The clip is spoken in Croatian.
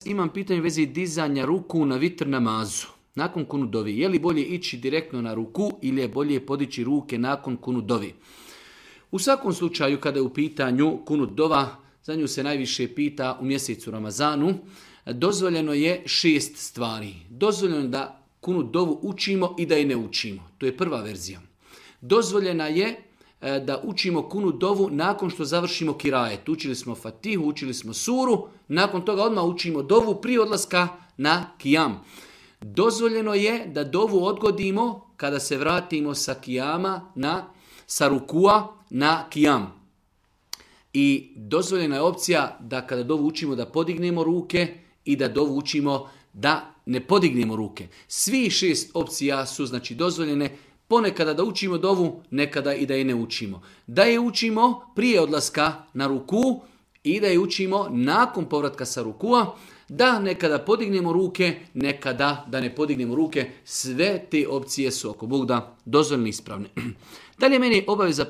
Imam pitanje u vezi dizanja ruku na vitr namazu. Nakon kunut dovi. Je li bolje ići direktno na ruku ili je bolje podići ruke nakon kunut dovi? U svakom slučaju kada je u pitanju kunut dova, za nju se najviše pita u mjesecu Ramazanu, dozvoljeno je 6 stvari. Dozvoljeno je da kunut dovu učimo i da je ne učimo. To je prva verzija. Dozvoljena je da učimo kunut dovu nakon što završimo kirajet. Učili smo Fatihu, učili smo suru, nakon toga odmah učimo dovu prije odlaska na kijam. Dozvoljeno je da dovu odgodimo kada se vratimo sa kijama, sa rukua na kijam. I dozvoljena je opcija da kada dovu učimo da podignemo ruke i da dovu učimo da ne podignemo ruke. Svi 6 opcija su znači dozvoljene. Ponekada da učimo dovu, nekada i da je ne učimo. Da je učimo prije odlaska na ruku i da je učimo nakon povratka sa rukua, da nekada podignemo ruke, nekada da ne podignemo ruke. Sve te opcije su oko Bog da dozvoljene i ispravne. Dalje meni je obaveza